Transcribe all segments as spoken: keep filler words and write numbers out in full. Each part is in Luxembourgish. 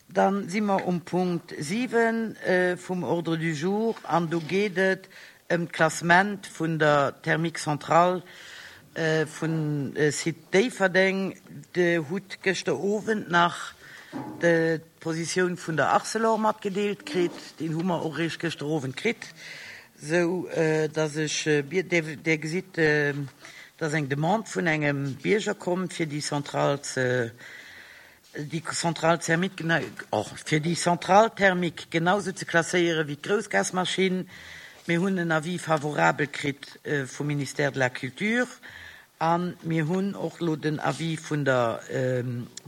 Dann si mer um Punkt siwen vum Ordre du jour an do geet et ëm d'Klassement vun der Thermique Centrale vum Site Déifferdeng. Dir hutt gëschter Owend nach d'Positioun vun der Arcelor matgedeelt kritt. Déi hu mer och eréischt gëschter Owend kritt, sou dass ech, Dir gesitt, dass eng Demande vun engem Bierger komm, fir déi Centrale ze, déi Centrale thermique, och fir déi Centrale thermique genausou ze klasséiere wéi d'Groussgasmaschinn. Mir hunn en Avis favorabel kritt vum Ministère de la Culture a mir hunn och elo den Avis vun der,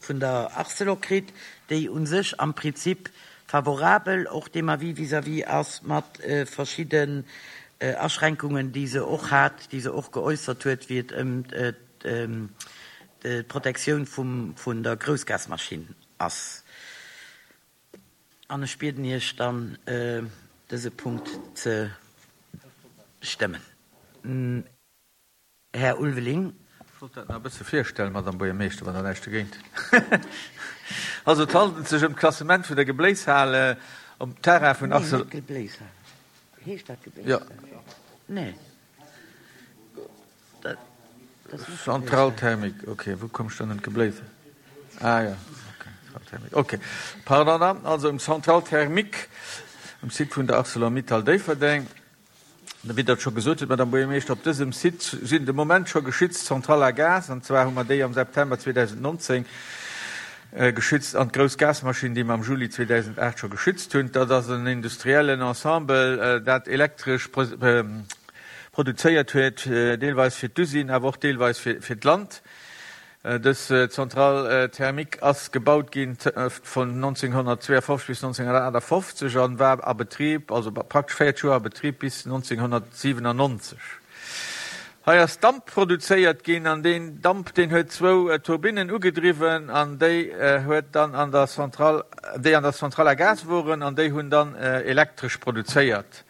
vun der Arcelor kritt, déi u sech am Prinzip favorabel och deem Avis vis-à-vis ass, mat verschidden Aschränkungen, déi se och hat, déi se och geäussert huet, wéi et ëm d'Protektioun vum, vun der Groussgasmaschinn ass. An ech bieden Iech dann, dëse Punkt ze stëmmen. Här Ulveling. Ech wollt dat nach e bësse virstellen, Madame Buergermeeschter, wann Der näischt dogéint hutt. Also, et handelt sech ëm d'Klassement vun der Gebléishal um Terrain vun Arcelor. Nee, net Gebléishal. Heescht dat Gebléishal? Jo. Nee. Dat ass net Centrale thermique, okay. Wou koum ech dann un d'Gebléishal? Ah jo, okay, Centrale thermique, okay. Pardon dann. Also ëm d'Centrale thermique um Site vun der Arcelor-Mittal Déifferdeng. Wéi Der et scho gesot hutt, Madame Buergermeeschter, op dësem Site sinn de Moment scho geschützt d'Centrale à gaz, an zwar hu mer déi am September zweedausendnonzéng geschützt, an d'grouss Gasmaschinn, déi mer am Juli zweedausendaacht scho geschützt hunn. Dat ass en industriellen Ensemble, dat Elektresch produzéiert huet, deelweis fir d'Usine, awer och deelweis fir d'Land. Dës Centrale thermique ass gebaut ginn vun nonzénghonnertzweeafofzeg bis nonzénghonnertaachtafoffzeg an war a Betrib, also praktesch véierzeg Joer a Betrib bis nonzénghonnertsiwenannonzeg. Hei ass Damp produzéiert ginn an deen Damp, deen huet zwou Turbinnen ugedriwwen an déi huet dann an der Centrale, déi an der Centrale à gaz woren an déi hunn dann Elektresch produzéiert.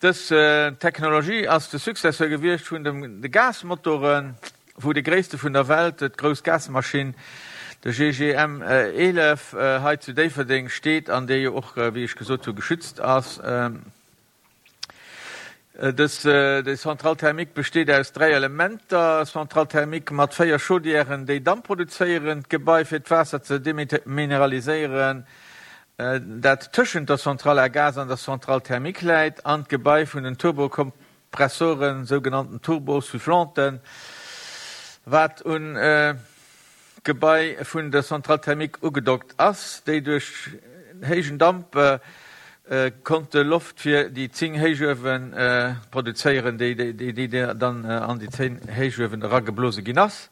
Dës Technologie ass de Successeur gewiescht vun de Gasmotoren, wou de gréisste vun der Welt, d'grouss Gasmaschinn, de G G M eelef, hei zu Déifferdeng steet an dee jo och, wéi ech gesot hu, geschützt ass. Dës déi Centrale thermique besteet aus dräi Elementer, Centrale thermique mat véier Chaudièren, déi Damp produzéieren, d'Gebai fir d'Waasser ze demineraliséieren, dat tëschent der Centrale à gaz an der Centrale thermique läit, an d'Gebai vun den Turbokompressoren, sougenannten Turbosoufflanten, wat un d'Gebai vun der Centrale thermique ugedockt ass, déi duerch héijen Damp konnte Loft fir déi zéng Héichuewe produzéieren, déi dann an déi zéng Héichuewen erageblose ginn ass.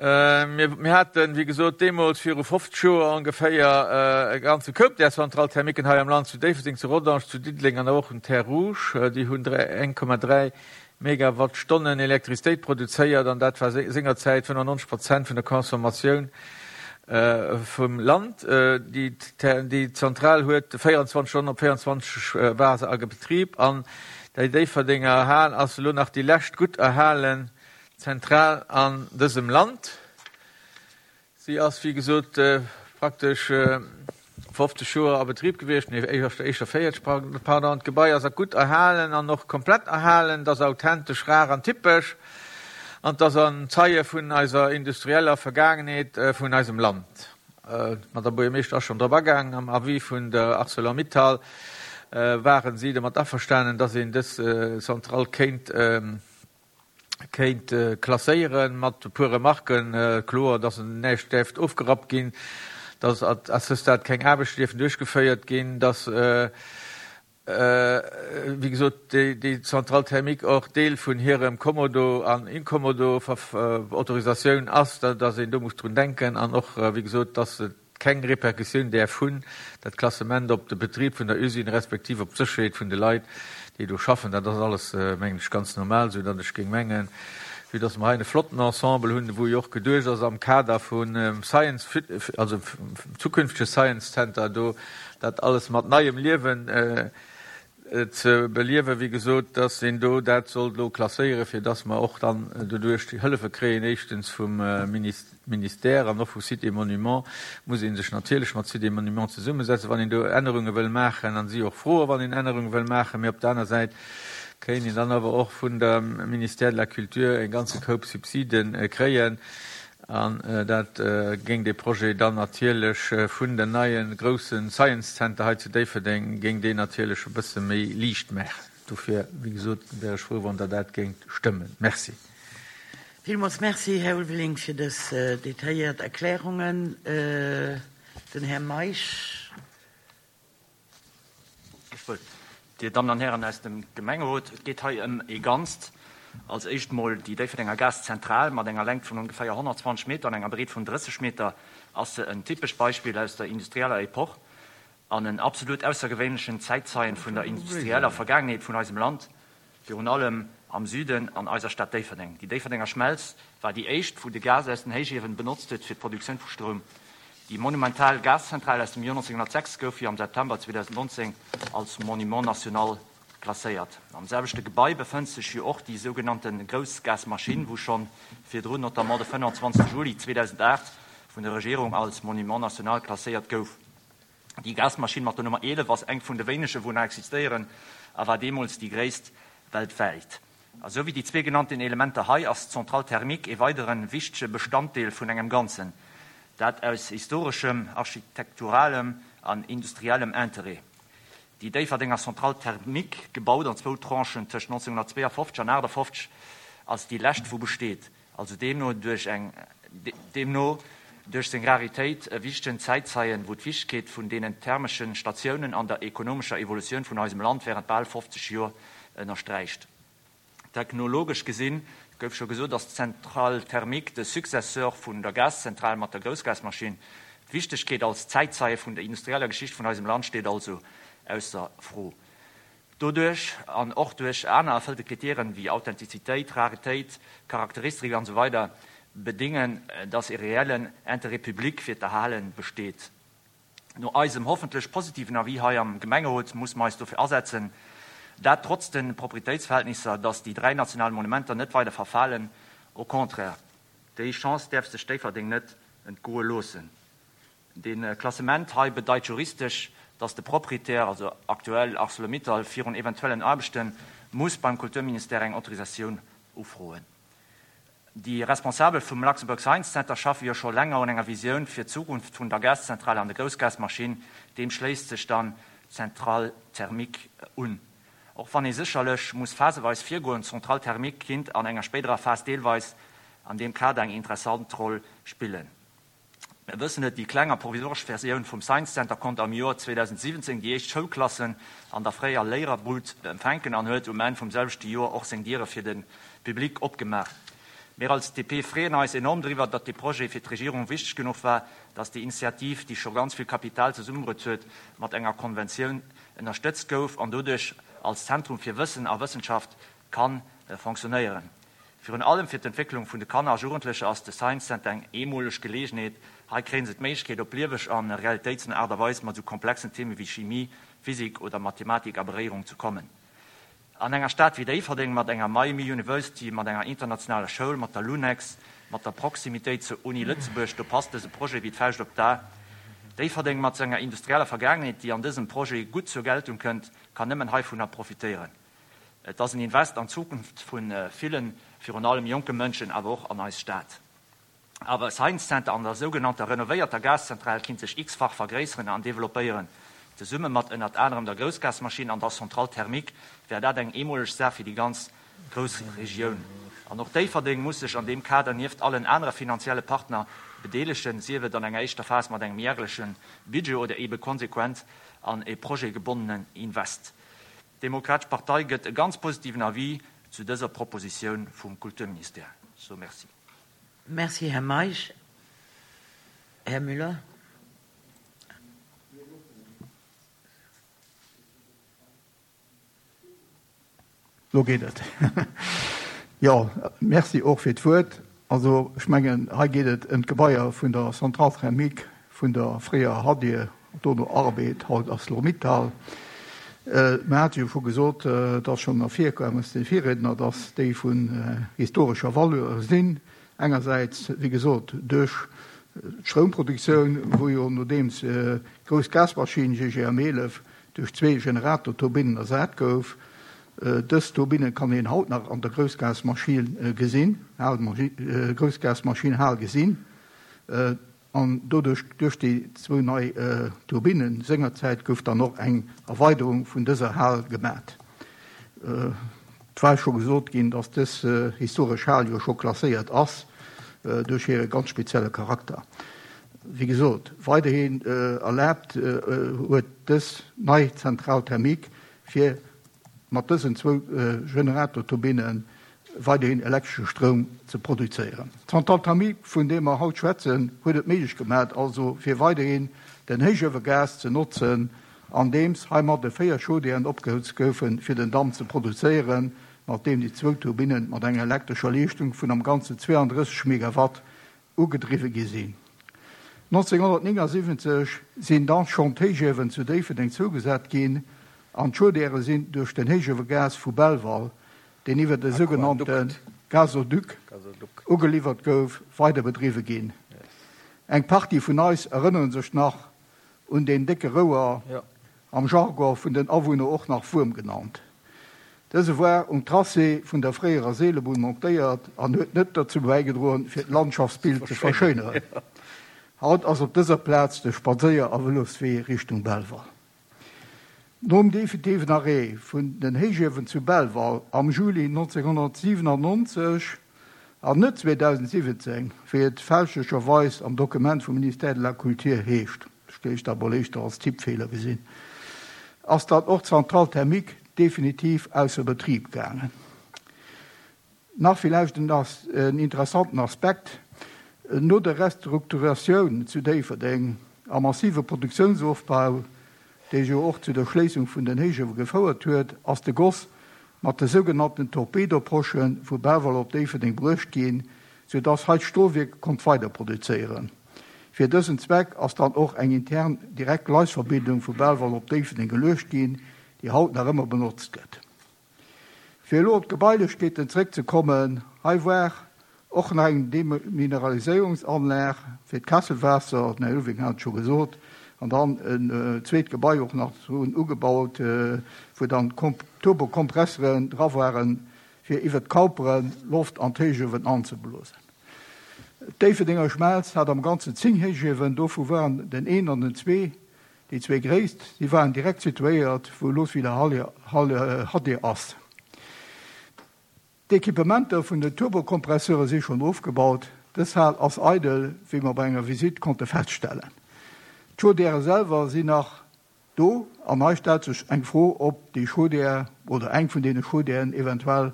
Mir haten, wéi gesot, deemools viru fofzeg Joer ongeféier e ganze Koup där Centrales thermiquen hei am Land, zu Déifferdeng, zu Rodange, zu Diddeleng an och um Terres Rouges. Déi hunn eng Komma dräi Megawattstonnen Elektrizitéit produzéiert an dat war sengerzäit fënnefannonzeg Prozent vun der Consommatioun vum Land. Déi Zentral huet véierundzwanzeg Stonnen op véierundzwanzeg war se a Betrib an déi Déifferdenger Hal ass elo nach déi lescht gutt erhalen Zentral an dësem Land. Si ass, wéi gesot, praktesch fofzeg Joer a Betrib gewiescht, nee, éischter véierzeg, pardon. D'Gebai ass gutt erhalen an och komplett erhalen. Et ass authentesch, rar an typesch an et ass en Zeie vun eiser industrieller Vergaangenheet vun eisem Land. D'Madame Buergermeeschter ass schonn drop agaangen, am Avis vun der Arcelor-Mittal ware si domat averstanen, dass een dës Zentral kéint kéint klasséieren, mat e puer Remarken, kloer, dass näischt däerft ofgerappt ginn, dass à ce stade keng Aarbechten dierfen duerchgeféiert ginn, dass, wéi gesot, déi Centrale thermique och Deel vun hirem Kommodo an Inkommodo-Autorisatioun ass, dass een do muss drun denken an och, wéi gesot, dass et keng Repercussioun däerf hunn, dat Klassement, op de Betrib vun der Usine respektiv op d'Sécherheet vun de Leit, déi do schaffen. Dat ass alles, mengen ech, ganz normal, soudatt ech géing mengen, vue dass mer hei e flotten Ensemble hunn, wou jo och geduecht ass am Kader vum Science, also zukünftege Science Center do, dat alles mat neiem Liewen ze beliewen, wéi gesot, dass een do dat sollt elo klasséieren, fir dass mer och dann doduerch déi Hëllefe kréien, éischtens vum Ministère an och vu Sites et Monuments. Muss ee sech natierlech mat Sites et Monuments zesummesetzen, wann een do Ännerunge wëll maachen, an si och froen, wann een Ännerunge wëll maachen. Mee op der aner Säit kéint een dann awer och vun dem Ministère de la Culture e ganze Koup Subside kréien. An dat géing dee Projet dann natierlech vun den neie grousse Science Center hei zu Déifferdeng, géing deen natierlech e bësse méi liicht maachen. Dofir, wéi gesot, wär ech frou, wann Der dat géingt stëmmen. Merci. Villmools Merci, Här Ulveling, fir dës detailléiert Erklärungen. Den Här Meisch. Ech wëllt, Dir Dammen an Hären aus dem Gemengerot, et geet hei ëm ee Ganzt. Als éischt mol déi Déifferdenger Gaszentral mat enger Längt vun ongeféier honnertzwanzeg Meter an enger Breet vun drësseg Meter ass se en typescht Beispill aus der industrieller Epoch an en absolut aussergewéinlechen Zäitzeien vun der industrieller Vergaangenheet vun eisem Land, virun allem am Süden an eiser Stad Déifferdeng. Déi Déifferdenger Schmelz war déi éischt, wou de Gas aus den Héichiewen benotzt huet fir d'Produktioun vu Stroum. Déi monumental Gaszentral aus dem Joer neunzehnhundertsechs gouf jo am September zweedausendnonzéng als Monument national klasséiert. Am selwechte Gebai befënnt sech jo och déi sougenannte Groussgasmaschinn, wou schonn virdrun, notamment de fënnanzwanzegste Juli zweedausendacht vun der Regierung als Monument national klasséiert gouf. Déi Gasmaschinn mat der Nummer eelef ass eng vun de wéinege wou nach existéieren a war deemools déi gréisst weltwäit. A sou wéi déi zwee genannten Elementer hei ass d'Centrale thermique e weidere wichtege Bestanddeel vun engem Ganzen, dat aus historeschem, architekturalem an industriellem Interêt. Déi Déifferdenger Centrale thermique, gebaut an zwou Tranchen tëscht neunzehnhundertzweeafofzeg an aachtafofzeg, ass déi lescht wou besteet, also deemno duerch eng deemno duerch seng Raritéit e wichtegen Zäitzeien, wou d'Wichtegkeet vun deenen thermeschen Statiounen an der ekonomescher Evolutioun vun eisem Land während bal fofzeg Joer ënnersträicht. Technologesch gesinn, gouf scho gesot, ass d'Centrale thermique de Successeur vun der Gaszentral mat der Groussgasmaschinn. D'Wichtegkeet als Zäitzeie vun der industrieller Geschicht vun eisem Land steet also ausser Fro. Doduerch, an och duerch aner erfëllte Kritieren wéi Authentizitéit, Raretéit, Charakteristerik an esou weider bedingen, dass e reellen Intérêt public fir d'Erhale besteet. No eisem hoffentlech positiven Avis hei am Gemengerot muss mer eis dofir asetzen, dat trotz de Proprietéitsverhältnisser, dass déi dräi national Monumenter net weider verfalen. Au contraire, déi Chance däerf sech Déifferdeng net entgoe loossen. Dee Klassement hei bedeit juristesch, dass de Proprietär, also aktuell Arcelor-Mittal, virun eventuellen Aarbechte muss beim Kulturministère eng Autorisatioun ufroen. Déi Responsabel vum Luxembourg Science Center schaffe jo scho länger un enger Visioun fir d'Zukunft vun der Gaszentral an der Groussgasmaschinn. Deem schléisst sech dann d'Centrale thermique un. Och wann ee sécherlech muss phaseweis virgoen, d'Centrale thermique kinnt an enger spéiderer Phas deelweis an deem Kader eng interessant Roll spillen. Mir wëssen et, déi kleng a provisoresch Versioun vum Science Center konnt am Joer zweedausentsiwwenzéng déi éischt Schoulklassen an der fréier Léiererbud empfänken an huet um Enn vum selwechte Joer och seng Diere fir de Public opgemaach. Mir als D P freeën eis enorm driwwer, datt dee Projet fir d'Regierung wichteg genuch war, datt déi Initiativ, déi scho ganz vill Kapital zesummebruet huet, mat enger Konventioun ënnerstëtzt gouf an doduerch als Zentrum fir Wëssen a Wëssenschaft ka fonctionnéieren. Virun allem fir d'Entwécklung vun de Kanner a Jugendlecher ass de Science Center eng eemoleg Geleegenheet. Hei kréie se d'Méiglechkeet, op lieweg an realitéitsno Aart a Weis mat esou komplexen Theme wéi Chimie, Physik oder Mathematik a Beréierung ze kommen. An enger Stad wéi Déifferdeng, mat enger Miami University, mat enger internationaler Schoul, mat der Lunex, mat der Proximitéit zur Uni Lëtzebuerg, do passt dëse Projet wéi d'Fauscht op d'A. Déifferdeng mat senger industrieller Vergaangenheet, déi an dësem Projet gutt zur Geltung kënnt, kann nëmmen heivunner profitéieren. Et ass en Invest an d'Zukunft vu villen, virun allem jonke Mënschen, awer och an eis Stad. Awer e Science Center an der sougenannter renovéierter Gaszentral kinnt sech x-fach vergréisseren an developpéieren. Zesumme mat ënnert anerem der Groussgasmaschinn an der Centrale thermique wär dat eng eemoleg Saach fir déi ganz Groussregioun. An och Déifferdeng muss sech an deem Kader nieft allen anere finanzielle Partner bedeelegen, sief et an enger éischter Phas mat engem järleche Budget oder eebe konsequent an e projetgebonnenen Invest. D'Demokratesch Partei gëtt e ganz positiven Avis zu dëser Propositioun vum Kulturministère. So, merci. Merci, Här Meisch. Här Müller. Lo geet et. Jo, merci och fir d'Wuert. Also, ech mengen, hei geet et ëm d'Gebaier vun der Centrale thermique vun der fréier Hadir, dono Arbed, haut Arcelor-Mittal. Mir hate jo scho gesot, et ass schonn ervirkomm aus de Virriedner, dass déi vun historescher Valeur sinn. Engersäits, wéi gesot, duerch d'Stroumproduktioun, wou jo nodeems d'grouss Gasmaschinn G G M eelef duerch zwee Generatorturbinnen ersat gouf. Dës Turbinne kann een haut nach an der Groussgasmaschinn gesinn, Groussgasmaschinn Hal gesinn. An doduerch, duerch déi zwou nei Turbinnen sengerzäit, gouf dann och eng Erweiderung vun dëser Hal gemat. Et war scho gesot ginn, datt dës historesch Hal jo scho klasséiert ass duerch hire ganz spezielle Charakter. Wéi gesot, weiderhin erlaabt huet dës nei Centrale thermique, fir mat dësen zwou Generatorturbinnen weiderhin elektresche Stroum ze produzéieren. D'Centrale thermique, vun deem mer haut schwätzen, huet et méiglech gemaach, also fir weiderhin den Héichuewegas ze notzen, andeems heimadde véier Chaudièren opgehëtzt goufen, fir den Damp ze produzéieren, mat deem déi zwou Turbinnen mat enger elektrescher Leeschtung vun am Ganzen zweiunddrësseg Megawatt ugedriwwe gi sinn. neunzehnhundertneunundsiebzig sinn dann schonn d'Héichuewen zu Déifferdeng zougesat ginn an d'Chaudièrë sinn duerch den Héichuewegas vu Belval, deen iwwer de sougenannte Gasoduc ugeliwwert gouf, weider bedriwwe ginn. Eng Partie vun eis erënnere sech nach un den décke Rouer, am Jargon vun den Awunner och nach Wuerm genannt. Dëse war um Tracé vun der fréierer Seelebunn montéiert an huet net dazu bäigedroen, fir d'Landschaftsbild ze verschöneren. Haut ass op dëser Plaz de Spadséier- a Veloswee Richtung Belval. Nom definitiven Arrêt vun den Héichuewen zu Belval am Juli neunzehnhundertsiebenundneunzig an net zweitausendsiebzehn, wéi et fälschlecherweis am Dokument vum Ministère de la Culture heescht, ech géif dat mol éischter als Tippfehler gesinn, ass dat och d'Centrale thermique definitiv ausser Betrieb gaangen. Nach vielleicht en As-, en interessanten Aspekt, no der Restrukturatioun zu Déifferdeng a massive Produktionsaufbau, dee jo och zu der Schléissung vun den Héichuewe gefouert huet, ass de Goss mat de sougenannten Torpedoposchen vu Belval op Déifferdeng bruecht ginn, sodass hei d'Stolwierk konnt weiter produzéieren. Fir dësen Zweck ass dann och eng intern direkt Gleisverbindung vu Belval op Déifferdeng geluecht ginn, déi haut nach ëmmer benotzt gëtt. Fir elo op d'Gebailechkeeten zréckzekommen, hei war och nach eng Demineraliséierungsanlag fir d'Kesselwaasser, den Här Ulving hat scho gesot, an dann en, äh, zweet Gebai och nach so ugebaut, äh, wou dann Komp-, Turbokompresseren dra waren, fir iwwer d'Kauperen Loft an d'Héichuewen anzeblosen. D'Déifferdenger Schmelz hat am Ganzen zéng Héichuewen, dovu waren den een an den zwee, déi zwee gréisst, déi waren direkt situéiert, wou elo wieder Halle, Halle, H D ass. D'Equipementer vun den Turbokompresseure si schon ofgebaut. Dës Hal ass eidel, wéi mer bei enger Visite konnte feststellen. D'Chaudièrë selwer sinn nach do an hei stellt sech eng Fro, ob déi Chaudière oder eng vun deene Chaudièren eventuell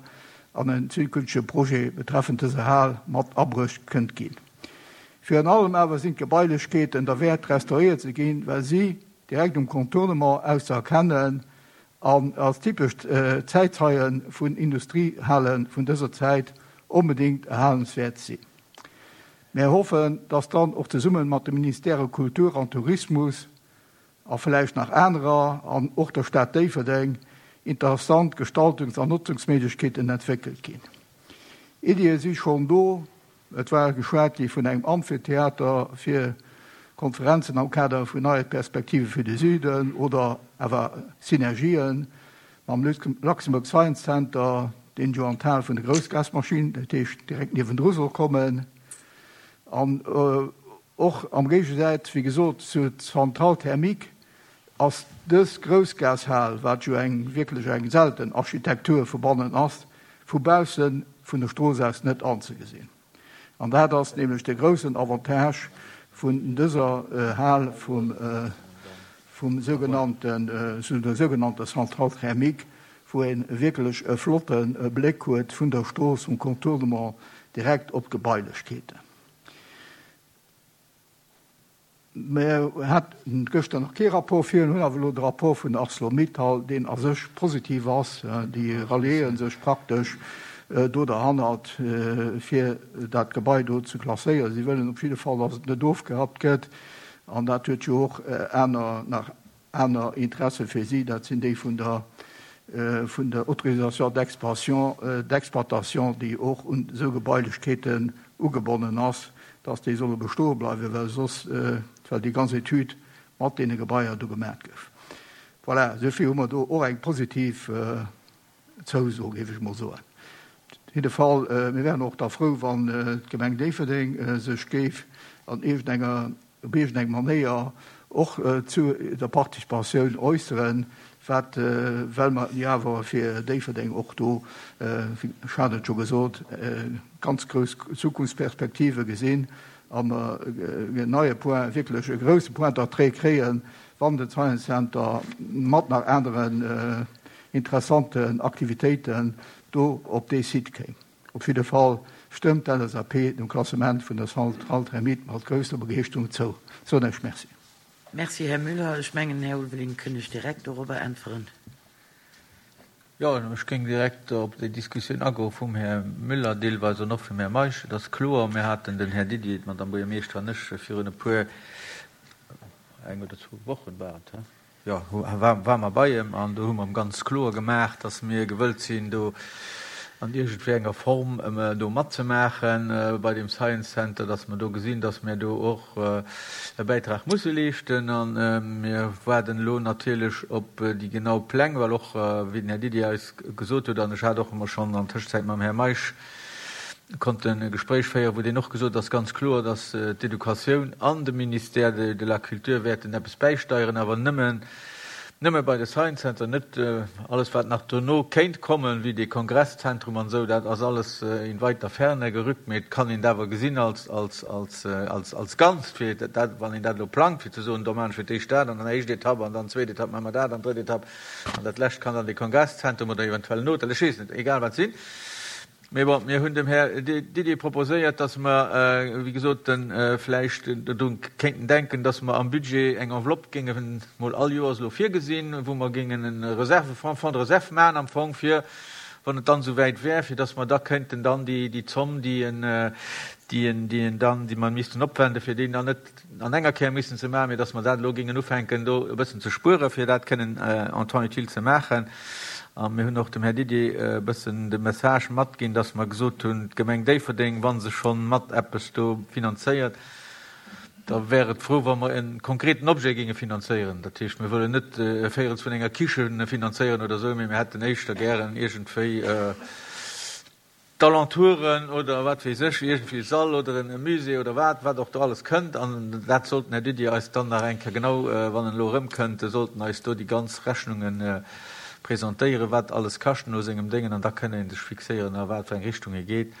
an en zukünftege Projet betreffend dëser Hal mat abruecht kënnt ginn. Virun allem awer sinn d'Gebailechkeeten derwäert restauréiert ze ginn, well si direkt um Contournement aus ze erkennen an als typesch, äh, Zäitzeien vun Industriehalen vun dëser Zäit onbedingt erhalenswäert sinn. Mir hoffen, dass dann och zesummen mat dem Ministère Kultur an Tourismus a vielleicht nach anerer an och der Stadt Déifferdeng interessant Gestaltungs- an Nutzungsmöglichkeiten entwickelt ginn. Iddie si schon do, et war geschwat gi vun engem Amphitheater fir Konferenzen am Kader vun neie Perspektive fir de Süden oder awer Synergien mam Luxembourg Science Center, den jo an Teil vun der Groussgasmaschinn, dat heescht direkt niewendru soll kommen. An, äh, och am Géigesaz, wéi gesot, zur Centrale thermique ass dës Groussgashal, wat jo eng wierklech eng selten Architektur vu bannen ass, vu bausse vun der Strooss aus net anzegesinn. An dat ass nämlech de groussen Avantage vun dëser, äh, Hal vum, äh, vum sogenannten, äh, zu der sogenannten Centrale thermique, wo een wierklech e flotten, äh, Bléck huet vun der Strooss vum Contournement direkt op d'Gebailechkeeten. Mir haten gëschter nach kee Rapport fir, hunn awer elo de Rapport vun ArcelorMittal, deen a sech positiv ass, déi ralliéieren sech praktesch, äh, do derhannert, äh, fir dat Gebai do ze klasséieren. Si wëllen op jidde Fall, dass et net ofgerappt gëtt, an dat huet jo och, äh, aner, nach aner Interesse fir si, dat sinn déi vun der vun der Autorisation d'expansion, d'exploitation, déi och un esou Gebailechkeeten ugebonnen ass, dass déi solle bestoe bleiwen, well soss, well déi ganz Etüd mat deene Gebaier do gemaach gouf. Voilà, esouvill hu mer do och eng positiv Zouso, géif ech mol soen. Op jidde Fall, mir wären och da frou, wann d'Gemeng Déifferdeng sech géif an iergendenger, op iergendeng Manéier och zu der Participatioun äusseren, wat, well mer jo awer fir Déifferdeng och do, ech hat et scho gesot, ganz grouss Zukunftsperspektive gesinn a mer en neie Point, wierklech e grousse Point d'entrée kréien, wann den Science Center mat nach aneren interessanten Aktivitéiten do op dee Site kéim. Op jidde Fall stëmmt d'LSAP dem Klassement vun der Centrale thermique mat grousser Begeeschterung zou. Soen ech Merci. Merci, Här Müller. Ech mengen, Här Ulveling, kënnt ech direkt dorobber äntweren. Jo, ech géing direkt op déi Diskussioun agoe vum Här Müller deelweis an och vum Här Meisch. Et ass kloer, mir haten, den Här Didier, d'Madame Buergermeeschter an ech, virun e puer, eng oder zwou Wochen war et, he? Jo, war mer bei em an do hu mer em ganz kloer gemaach, dass mir gewëllt sinn, do an iergendwéi enger Form do matzemaache bei deem Science Center, dass mer do gesinn, dass mir do och e Bäitrag musse leeschten. A mir waarden elo natierlech op déi genau Pläng, well och, wéi den Här Didier eis gesot huet, an ech hat och ëmmer schonn an Tëschenzäit mam Här Meisch konnten e Gespréich féieren, wou deen och gesot ass ganz kloer, dass d'Educatioun an de Ministère de la Culture wäerten eppes bäisteieren, awer nëmmen, nëmme bei de Science Center, net alles wat nach dono kéint kommen, wéi dee Kongresszentrum an esou, dat ass alles in weiter Ferne gerückt, mee et kann een et awer gesinn als, als, als, als, als Ganzt, fir dat, wann een dat elo plangt, fir ze soen, do maachen ech fir d'éischt dat an dann éischt Etapp an dann zweet Etapp maache mer dat an drëtt Etapp an dat lescht kann dann dee Kongresszentrum oder eventuell en Hotel, ech weess net, egal wat sinn. Mee bon, mir hunn dem Här Didier proposéiert, dass mer, wéi gesot, vläicht dodru kéinten denken, dass mer am Budget eng Enveloppe géinge mol all Joers elo virgesinn, wou mer géingen e Reservefonds, Fonds de réserve maachen am Fong, fir, wann et dann esouwäit wär, fir dass mer da kéinten dann déi Zomm, déi en, déi en, déi en dann, déi mer missten opwenden, fir déi dann net an enger Kéier missen ze maachen, mee dass mer dat elo géingen ufänken, do e bëssen ze spueren, fir dat kënnen en temps utile ze maachen. A mir hunn och dem Här Didier e bëssen de Message matginn, dass mer gesot hunn, d'Gemeng Déifferdeng, wa se schonn mat eppes do finanzéiert, da wär et frou, wa mer e konkreten Objet géinge finanzéieren. Dat heescht, mir wëllen net e Véirels vun enger Kiche finanzéieren oder esou, mee mir hätten éischter gären iergendwéi d'Alentouren oder wat weess ech, iergendwéi e Sall oder e Musée oder wat, wat och do alles kënnt. An dat sollt den Här Didier eis dann nach eng Kéier genau, wann en elo erëmkënnt, sollt en eis do déi ganz Rechnunge presentéieren, wat alles kascht no sengem Déngen, an da kënn ee sech fixéieren, a wat fir eng Richtung ee geet.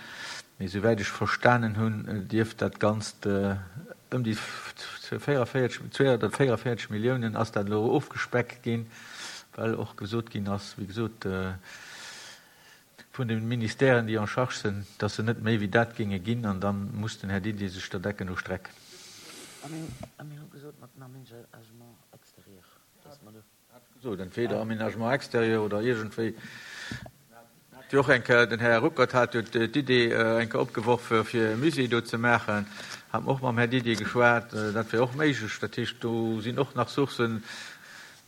Mee souwäit ech verstanen hunn, dierft dat Ganzt ëm déi véierundvéierzeg, zweehunnertvéierundvéierzeg Milliounen ass dat elo ofgespeckt ginn, well och gesot ginn ass, wéi gesot, vun de Ministèren, déi en charge sinn, dass se net méi wéi dat géinge ginn, an da muss den Här Didier sech der Decken no strecken. A mir hu gesot, mat dem Aménagement extérieur, dass mer do. Hat ech gesot, entweder Aménagement extérieur oder iergendwéi. Hat jo och eng Kéier, den Här Ruckert hat jo d'Idee eng Kéier opgeworf, fir e Musée do ze maachen. Hat mer och mam Här Didier geschwat, dat wär och méiglech. Dat heescht, do sinn och nach Sourcen,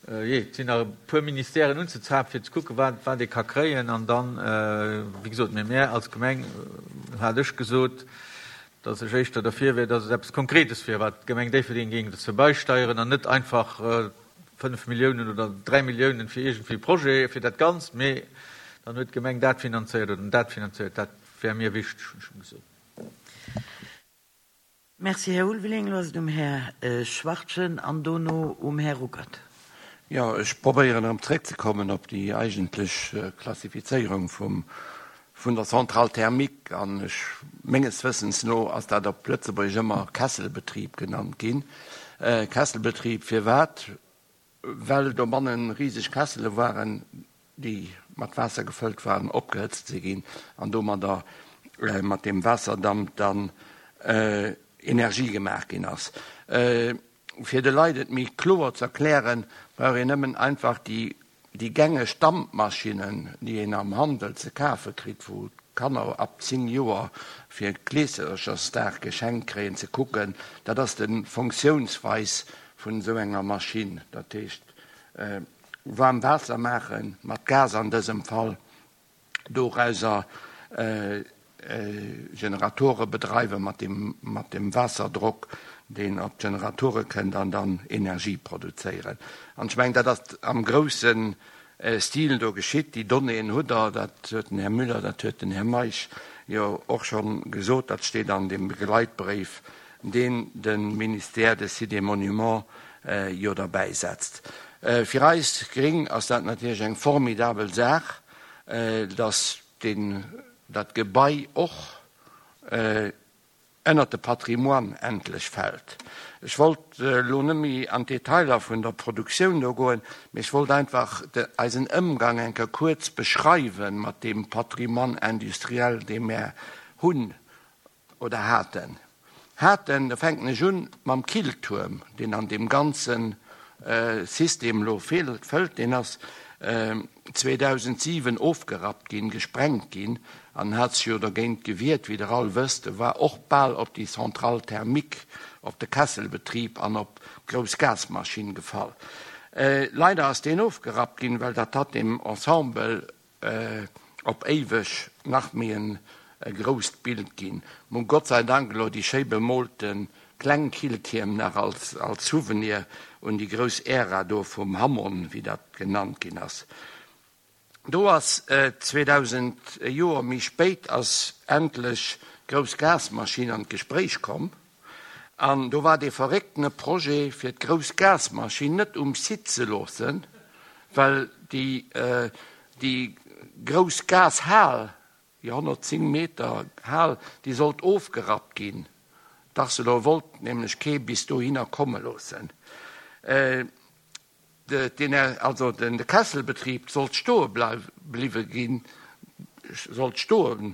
jee, et sinn nach e puer Ministèren unzezapen, fir ze kucken, wat, wat ee ka kréien. An dann, wéi gesot, mee mär als Gemeng, hat ech gesot, dass ech éischter derfir wär, dass et eppes Konkretes wier, wat d'Gemeng Déifferdeng géing dozou beisteieren an net einfach fënnf Milliounen oder dräi Milliounen fir iergendwéi e Projet, fir dat Ganzt, mee dann huet d'Gemeng dat finanzéiert oder dat finanzéiert. Dat wär mir wichteg, hunn ech em gesot. Merci, Här Ulveling. Elo ass et um Här Schwachtgen an dono um Här Ruckert. Jo, ech probéieren erëm zréckzekommen op déi eigentlech Klassifizéierung vum, vun der Centrale thermique. An ech, menges Wëssens no ass dat op Lëtzebuergesch ëmmer Kesselbetrieb genannt ginn. Kesselbetrieb firwat? Well dobannen riseg Kessele waren, déi mat Waasser gefëllt waren, opgehëtzt si ginn an domadder mat deem Waasserdamp dann Energie gemaach ginn ass. Fir de Leit et méi kloer ze erklären, brauch een nëmmen einfach déi déi gängeg Dampmaschinnen, déi een am Handel ze kafe kritt, wou d'Kanner ab zéng Joer fir Kleeserchersdag geschenkt kréien, ze kucken. Dat ass de Fonctiounsweis vun esou enger Maschinn. Dat heescht, waarm Waasser maache mat Gas an dësem Fall, dorauser Generatore bedreiwe mat dem, mat dem Waasserdrock, deen op d'Generatore kënnt, an dann Energie produzéieren. An ech mengen, dat ass am grousse Stil do geschitt. Déi Donnéeën hutt Der, dat huet den Här Müller, dat huet den Här Meisch jo och scho gesot, dat steet an deem Begleitbréif, deen de Ministère des Sites et Monuments jo derbäisetzt. Fir eis Gréng ass dat natierlech eng formidabel Saach, dass deen, dat Gebai och ënnert de Patrimoine endlech fält. Ech wollt elo net méi an d'Detailer vun der Produktioun do goen, mee ech wollt einfach eisen Ëmgang eng Kéier kuerz beschreiwe mat deem Patrimoine industriel, dee mär hunn oder haten. Haten, da fänken ech un mam Killtuerm, deen an deem ganze System elo fëllt. Deen ass zweedausentsiwen ofgerappt ginn, gesprengt ginn, an hat sech jo dergéint gewiert, wéi Der all wësst. E war och bal op déi Centrale thermique, op de Kesselbetrib an op d'grouss Gasmaschinn gefall. Leider ass deen ofgerappt ginn, well dat hat deem Ensemble op éiweg nach méi e grousst Bild ginn. Mir hu Gott sei Dank elo déi schéi bemoolte kleng Killtierm nach als als Souvenir un déi grouss Ära do vum Hammon, wéi dat genannt ginn ass. Do ass zweedausend, e Joer méi spéit ass endlech d'grouss Gasmaschinn an d'Gespréich komm. An do war dee verrécktene Projet, fir d'grouss Gasmaschinn net um Site ze loossen, well déi déi grouss Gashal, déi honnertzéng Meter Hal, déi sollt ofgerappt ginn. D'Arcelor wollt nämlech kee bis dohinner komme loossen. Also de Kesselbetrib sollt stoe bliwwe ginn, sollt stoe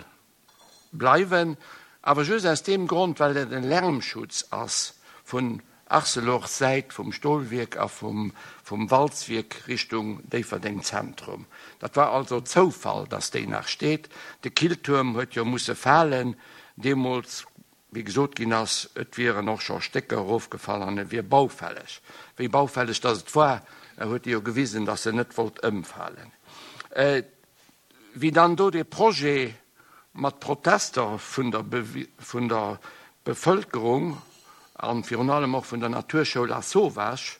bleiwen, awer just aus deem Grond, well et en Lärmschutz ass vun Arcelors Säit, vum Stolwierk a vum Walzwierk Richtung Déifferdeng Zentrum. Dat war also Zoufall, dass déi nach steet. De Killtuerm huet jo musse falen deemools, wéi gesot ginn ass, et wieren och scho Stécker erofgefall an e wier baufälleg. Wéi baufälleg dass et war, huet e jo gewisen, dass en net wollt ëmfalen. Wéi dann do dee Projet mat Protester vun der vun der Bevëlkerung a virun allem och vun der Naturschoul Lasauvage,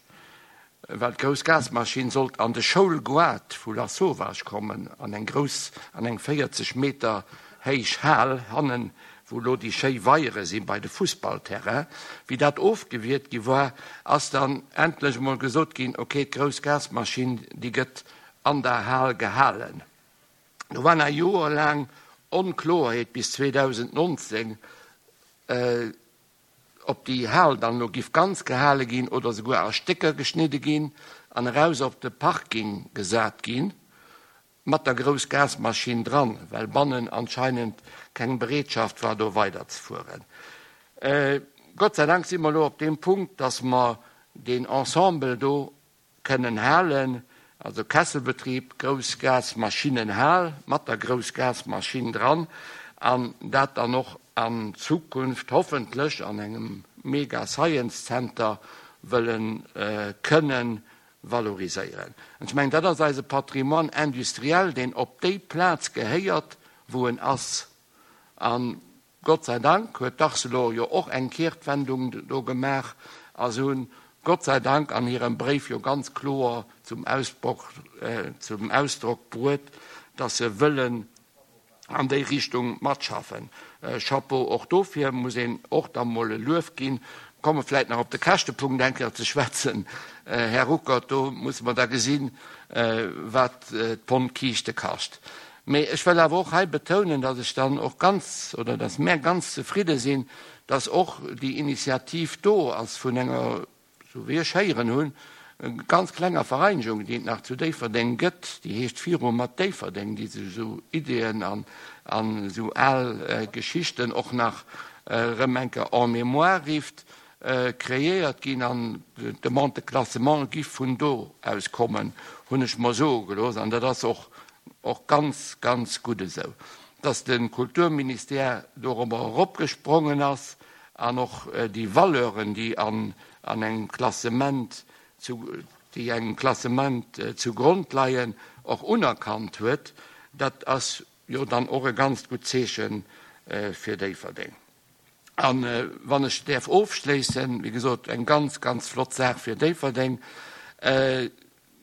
well d'grouss Gasmaschinn sollt an de Schoulgoart vu Lasauvage kommen, an eng grouss, an eng véierzeg Meter héich Hal hannen, wou elo déi schéi Weiere si bei de Fussballterrain. Wéi dat ofgewiert gi war, ass dann endlech emol gesot ginn, okay, d'grouss Gasmaschinn, déi gëtt an der Hal gehalen. Do war nach joerlaang Onkloerheet bis zweedausendnonzéng, ob déi Hal dann elo giff ganz gehale ginn oder souguer a Stécker geschnidde ginn an eraus op de Parking gesat ginn, mat der grouss Gasmaschinn dran, well bannen anscheinend keng Bereetschaft war, do weiderzefueren. Gott sei Dank si mer elo op deem Punkt, dass mer deen Ensemble do kënnen halen, also Kesselbetrib, grouss Gasmaschinnenhal mat der grouss Gasmaschinn dran, an dat dann och an Zukunft hoffentlech an engem Mega Science Center wëllen kënnen valoriséieren. An ech mengen, dat ass eise Patrimoine industriel, deen op déi Plaz gehéiert, wou en ass. A Gott sei Dank huet d'Arcelor jo och eng Kehrtwendung do gemaach a se hunn Gott sei Dank an hirem Bréif jo ganz kloer zum Ausdrock bruet, dass se wëllen an déi Richtung matschaffen. Chapeau och dofir, muss een och da mol e Luef ginn. Komme vläicht nach op de Käschtepunkt eng Kéier ze schwätzen, Här Ruckert, do musse mer da gesinn, wat d'Pond Kiischte kascht. Mee ech wëll awer och hei betounen, dass ech dann och ganz, oder dass mär ganz zefridde sinn, dass och déi Initiativ do ass vun enger, sou wéi ech héieren hunn, ganz klenger Vereinigung, déi et nach zu Déifferdeng gëtt, déi heescht Viru mat Déifferdeng, déi sech esou Ideeën an esou al Geschichten och nach erëm eng Kéier en mémoire rifft, kreéiert ginn. An d'Demande de classement giff vun do aus kommen, hunn ech mer soe gelooss. An dat ass och och ganz, ganz gutt esou, dass de Kulturministère dorobber eropgesprongen ass an och déi Valeuren, déi an an engem Klassement zu, déi engem Klassement zugrond leien, och unerkannt huet, dat ass jo dann och e ganzt gutt Zeeche fir Déifferdeng. A wann ech däerf ofschléissen, wéi gesot, eng ganz, ganz flott Saach fir Déifferdeng.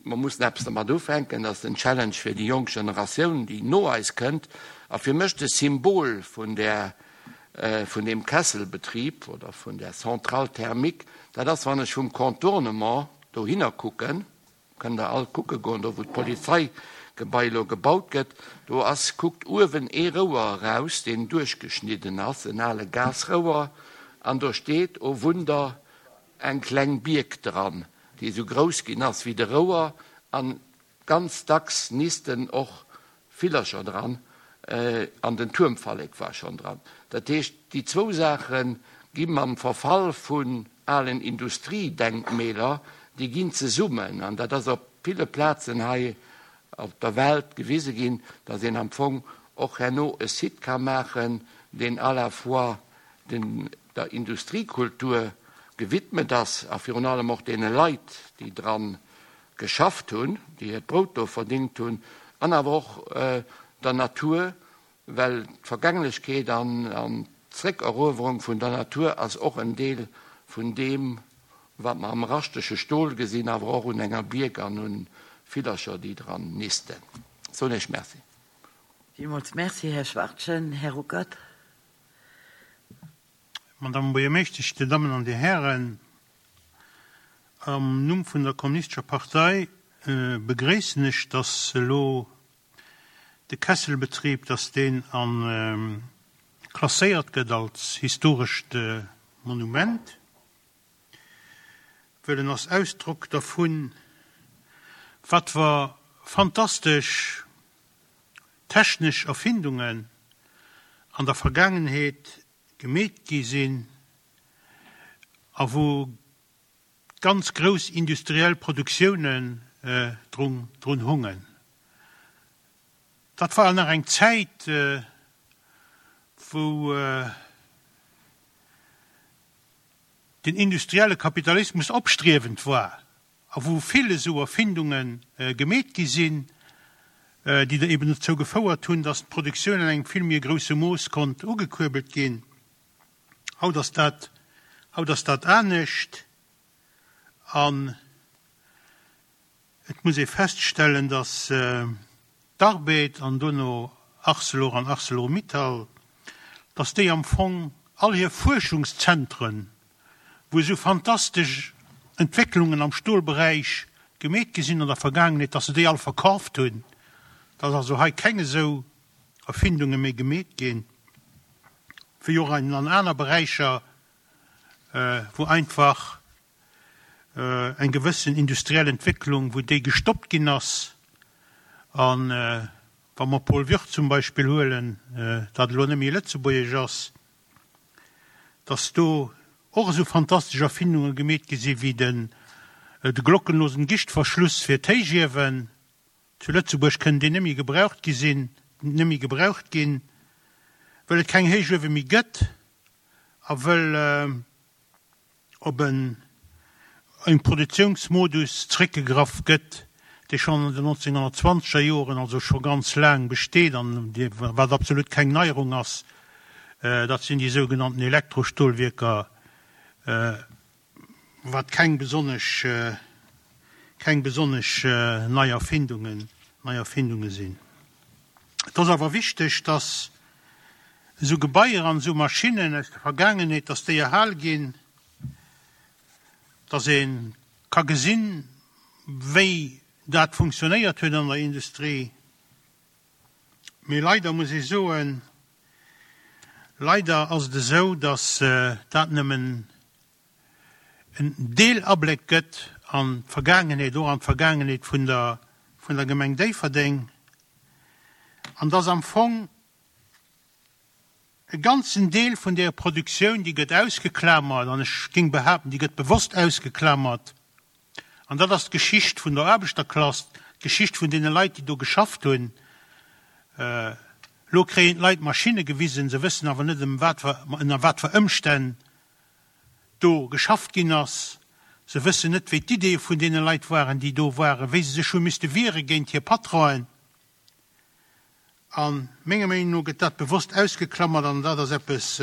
Mer mussen eppes dermat ufänken, dat ass den Challenge fir déi jonk Generatioun, déi no eis kënnt. A fir mech de Symbol vun där, vun deem Kesselbetrib oder vun där Centrale thermique, dat ass, wann ech vum Contournement dohinner kucken, kënnt Der all kucke goen, do wou d'Polizeigebai elo gebaut gëtt, do ass, kuckt uewen ee Rouer eraus, deen duerchgeschnidden ass, en ale Gasrouer, an do steet, oh Wunder, eng kleng Bierk dran, déi esou grouss ginn ass wéi de Rouer, an ganz dacks nisten och Villercher dran, an den Tuermfallek war schonn dran. Dat heescht, déi zwou Saache gi mam Verfall vun alen Industriedenkmäler, déi ginn zesummen, an dat ass op ville Plazen hei op der Welt gewise ginn, datt een am Fong och herno e Site ka maachen, deen à la fois den der Industriekultur gewidmet ass a virun allem och deene Leit, déi dran geschafft hunn, déi hiert Brout do verdingt hunn, an awer och der Natur, well d'Vergänglechkeet an d'Zréckeruewerung vun der Natur ass och en Deel vun deem, wat mer am raschtege Stol gesinn, awer och un enger Bierk an un Villercher, déi dran nisten. Soen Iech Merci. Villmools Merci, Här Schwachtgen. Här Ruckert. Madame Buergermeeschtesch, Dir Dammen an Dir Hären, am Numm vun der Kommunistescher Partei begréissen ech, dass elo de Kesselbetrieb, dass deen a klasséiert gëtt als historescht Monument, well en ass Ausdrock dervun, wat fir fantastesch technesch Erfindungen an der Vergaangenheet gemeet gi sinn a wou ganz grouss industriell Produktiounen drun hungen. Dat war nach eng Zäit, wou den industrielle Kapitalismus opstriewend war a wou vill esou Erfindunge gemeet gi sinn, déi da eben dozou gefouert hunn, datt d'Produktioun an engem vill méi grousse Mooss konnt ugekuerbelt ginn. Haut ass dat, haut ass dat anescht an et muss ee feststellen, datt d'Arbed an dono Arcelor an Arcelor-Mittal, datt déi am Fong all hir Fuerschungszentren, wou esou fantastesch Entwécklungen am Stolberäich gemeet gi sinn an der Vergaangenheet, datt se déi all verkaaft hunn, datt also hei keng esou Erfindunge méi gemeet ginn, wéi och an aner Beräicher, wou einfach eng gewëssen industriell Entwécklung, wou déi gestoppt ginn ass. A wa mer Paul Würth zum Beispill huelen, dat elo net méi lëtzebuergesch ass, datt do och esou fantastesch Erfindunge gemeet gi si wéi den de glockenlosen Gischtverschluss fir d'Héichiewen. Zu Lëtzebuerg kënn deen net méi gebraucht gi sinn, net méi gebraucht ginn, wëll et keng Héichuewe méi gëtt a wëll op en en Produktiounsmodus zréckgegraff gëtt, dee schonn an den nonzénghonnertzwanzeger Joren, also scho ganz laang besteet an dee wat absolut keng Neierung ass, dat sinn déi sougenannten Elektrostolwierker, wat keng besonnesch keng besonnesch nei Erfindungen nei Erfindunge sinn. Et ass awer wichteg, dass esou Gebaier an esou Maschinnen aus der Vergaangenheet, dass déi erhal ginn, dass ee ka gesinn, wéi dat funktionéiert huet an der Industrie. Mee leider muss ee soen, leider ass et esou, dass dat nëmmen en Deelabléck gëtt an d'Vergaangenheet, och an d'Vergaangenheet vun der, vun der Gemeng Déifferdeng, an dass am Fong e ganzen Deel vun där Produktioun, déi gëtt ausgeklamert, an ech géing behaapten, déi gëtt bewosst ausgeklamert, an dat ass d'Geschicht vun der Aarbechterklass, d'Geschicht vun deene Leit, déi do geschafft hunn. Elo kréien d'Leit Maschinne gewisen, se wëssen awer net, ëm wat fir, ënner wat fir Ëmstänn do geschafft ginn ass. Se wëssen net, wéi d'Iddie vun deene Leit waren, déi do waren, wéi se sech hu misste wiere géint hir Patronen. A menger Meenung no gëtt dat bewosst ausgeklammert an dat ass eppes,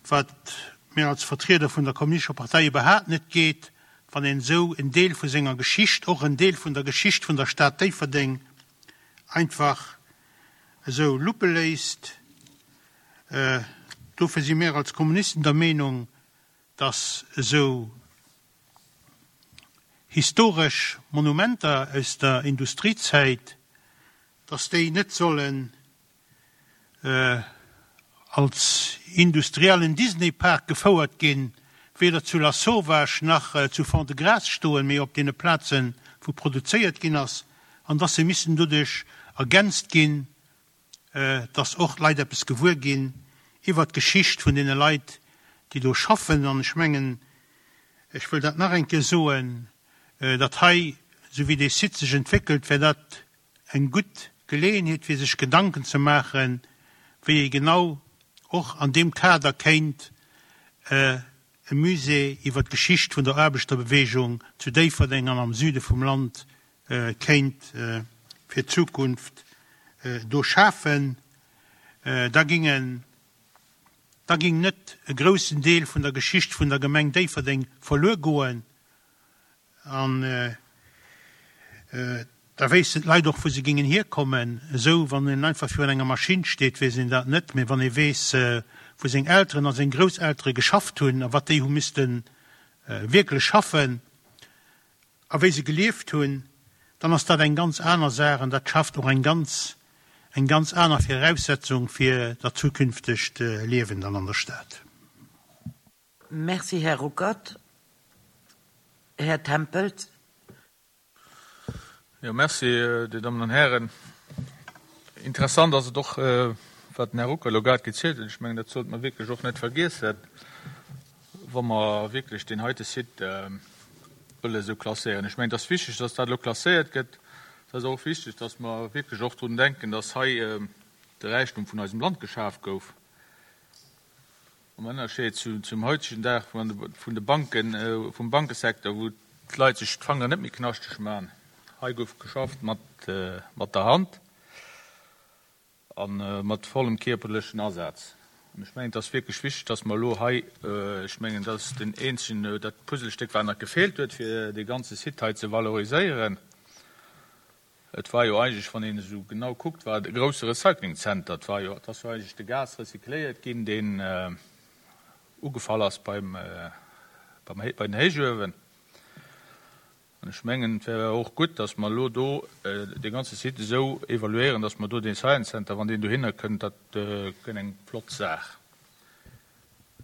wat mir als Vertrieder vun der Kommunistescher Partei iwwerhaapt net geet, wann een esou en Deel vu senger Geschicht, och en Deel vun der Geschicht vun der Stad Déifferdeng, einfach esou luppe léisst. Dofir si mir als Kommunisten der Meenung, dass esou historesch Monumenter aus der Industriezäit, dass déi net sollen als industriellen Disney-Park gefouert ginn, weder zu Lasauvage nach zu Fond-de-Gras stoen, mee op deene Plazen, wou produzéiert ginn ass, an dass se missten doduerch ergänzt ginn, dass och d'Leit eppes gewuer ginn iwwert d'Geschicht vun deene Leit, déi do schaffen. An ech mengen, ech wëll dat nach eng Kéier soen, dat hei, esou wéi dee Site sech entwéckelt, wär dat eng gutt Geleeënheet, fir sech Gedanken ze maachen, wéi ee genau och an deem Kader kéint e Musée iwwert d'Geschicht vun der Aarbechterbewegung zu Déifferdeng an am Süde vum Land kéint fir d'Zukunft do schafen. Da gingen, da ging net e groussen Deel vun der Geschicht vun der Gemeng Déifferdeng verluer goen an da wéissten d'Leit och, wou se gingen hierkommen. Esou, wann een einfach virun enger Maschinn steet, weess een dat net, mee wann ee weess, wou seng Elteren a seng Grousseltere geschafft hunn a wat déi hu misste wierklech schaffen a wéi se gelieft hunn, dann ass dat eng ganz aner Saach an dat schafft och eng ganz, eng ganz aner Viraussetzung fir dat zukünftegt Liewen dann an der Stad. Merci, Här Ruckert. Här Tempels. Jo, merci, Dir Dammen an Hären. Interessant ass et och, wat den Här Ruckert elo grad gezielt huet. Ech mengen, dat sollte mer wierklech och net vergiessen, wa mer wierklech deen heite Site wëlle esou klasséieren. Ech mengen, et ass wichteg, dass dat elo klasséiert gëtt. Et ass och wichteg, dass mer wierklech och drun denken, dass hei de Räichtum vun eisem Land geschaf gouf. Am Ënnerscheed zum heutegen Dag vun de Banken, vum Bankesecteur, wou d'Leit sech d'Fanger net méi knaschteg maachen. Hei gouf geschafft mat der Hand a mat vollem kierperlechen Asaz. An ech mengen, et ass wierklech wichteg, dass mer elo hei, ech mengen, dat ass den eenzegen, dat Puzzlestéck, wat nach gefeelt huet, fir dee ganze Site hei ze valoriséieren. Et war jo eigentlech, wann een esou genau kuckt, war et e grousse Recyclingzenter. Et war jo, et ass jo eigentlech de Gas recycléiert ginn, deen ugefall ass beim, beim, bei den Héichuewen. An ech mengen, et wär och gutt, dass mer elo do dee ganze Site esou evaluéieren, dass mer do dee Science Center, wann deen dohinner kënnt, dat gëtt eng flott Saach.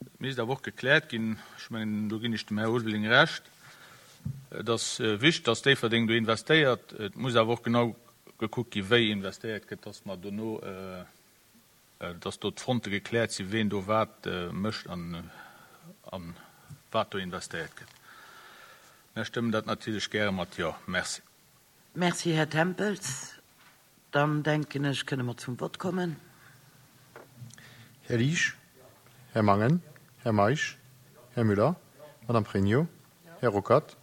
Et misst awer och gekläert ginn, ech mengen, do ginn ech dem Här Ulveling Recht, et ass wichteg, dass Déifferdeng do investéiert. Et muss awer och genau gekuckt ginn, wéi investéiert gëtt, dass mer dono, dass do d'Fronte gekläert sinn, ween do wat mécht an wat do investéiert gëtt. Mir stëmmen dat natierlech gäre mat Jo. Merci. Merci, Här Tempels. Dann denken ech, kënne mer zum Vott kommen. Här Liesch, Här Mangen, Här Meisch, Här Müller, Madame Pregno, Här Ruckert,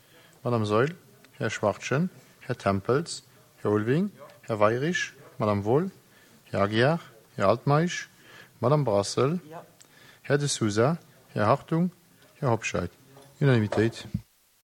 Madame Saeul, Här Schwachtgen, Här Tempels, Här Ulveling, Här Weyrich, Madame Wohl, Här Aguiar, Här Altmeisch, Madame Brassel, Här De Sousa, Här Hartung, Här Hobscheit. Unanimitéit.